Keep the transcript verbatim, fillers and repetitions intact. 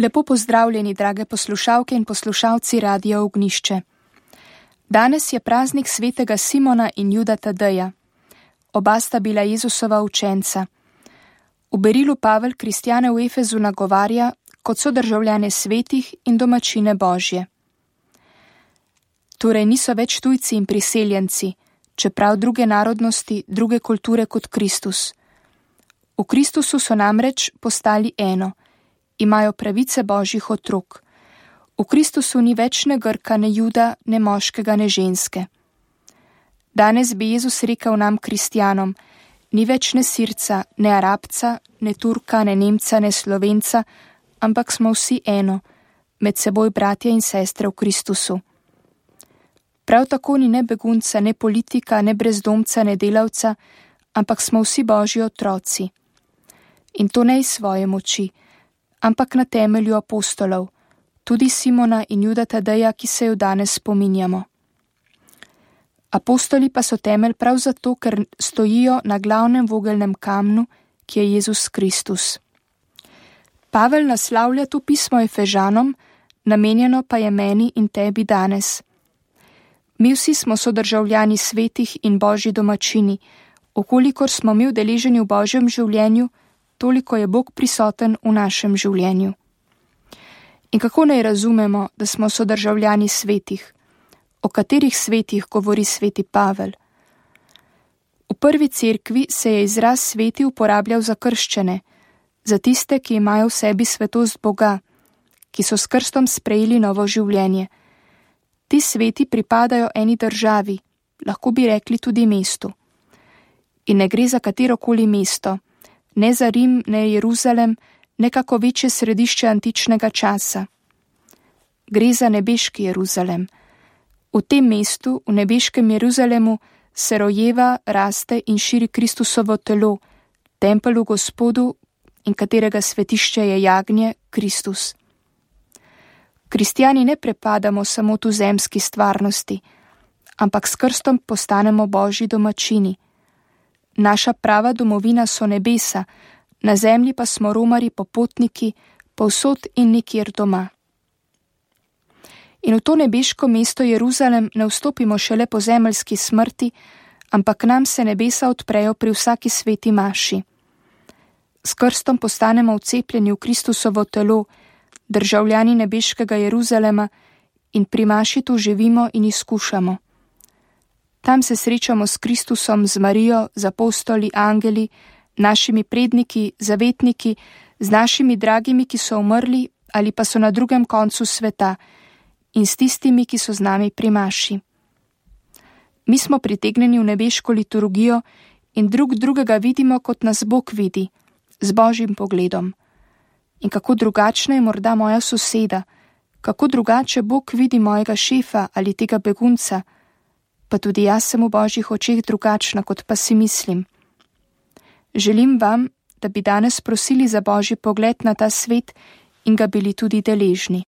Lepo pozdravljeni, drage poslušalke in poslušalci Radia Ognjišče. Danes je praznik svetega Simona in Juda Tadeja. Oba sta bila Jezusova učenca. V berilu Pavel kristjane v Efezu nagovarja kot sodržavljane svetih in domačine Božje. Torej niso več tujci in priseljenci, čeprav druge narodnosti, druge kulture kot Kristus. V Kristusu so namreč postali eno, imajo pravice Božjih otrok. V Kristusu ni več ne Grka, ne Juda, ne moškega, ne ženske. Danes bi Jezus rekel nam kristjanom, ni več ne Sirca, ne Arabca, ne Turka, ne Nemca, ne Slovenca, ampak smo vsi eno, med seboj bratje in sestre v Kristusu. Prav tako ni ne begunca, ne politika, ne brezdomca, ne delavca, ampak smo vsi Božji otroci. In to ne iz svoje moči, ampak na temelju apostolov, tudi Simona in Juda Tadeja, ki se jo danes spominjamo. Apostoli pa so temelj prav zato, ker stojijo na glavnem vogelnem kamnu, ki je Jezus Kristus. Pavel naslavlja to pismo Efežanom, namenjeno pa je meni in tebi danes. Mi vsi smo sodržavljani svetih in Božji domačini, okolikor smo mi udeleženi v Božjem življenju, toliko je Bog prisoten v našem življenju. In kako naj razumemo, da smo sodržavljani svetih? O katerih svetih govori sveti Pavel? V prvi cerkvi se je izraz sveti uporabljal za krščene, za tiste, ki imajo v sebi svetost Boga, ki so s krstom sprejeli novo življenje. Ti sveti pripadajo eni državi, lahko bi rekli tudi mestu. In ne gre za katerokoli mesto, ne za Rim, ne Jeruzalem, ne kako večje središče antičnega časa. Gre za nebeški Jeruzalem. V tem mestu, v nebeškem Jeruzalemu, se rojeva, raste in širi Kristusovo telo, tempelj v Gospodu in katerega svetišče je jagnje, Kristus. Kristjani ne prepadamo samo tu zemski stvarnosti, ampak s krstom postanemo Božji domačini. Naša prava domovina so nebesa, na zemlji pa smo romari popotniki, povsod in nikjer doma. In v to nebeško mesto Jeruzalem ne vstopimo šele po zemeljski smrti, ampak nam se nebesa odprejo pri vsaki sveti maši. S krstom postanemo vcepljeni v Kristusovo telo, državljani nebeškega Jeruzalema in pri maši tu živimo in izkušamo. Tam se srečamo s Kristusom, z Marijo, z apostoli, angeli, našimi predniki, zavetniki, z našimi dragimi, ki so umrli ali pa so na drugem koncu sveta, in s tistimi, ki so z nami pri maši. Mi smo pritegnjeni v nebeško liturgijo in drug drugega vidimo, kot nas Bog vidi, z Božjim pogledom. In kako drugačna je morda moja soseda, kako drugače Bog vidi mojega šefa ali tega begunca, pa tudi jaz sem v Božjih očeh drugačna, kot pa si mislim. Želim vam, da bi danes prosili za Božji pogled na ta svet in ga bili tudi deležni.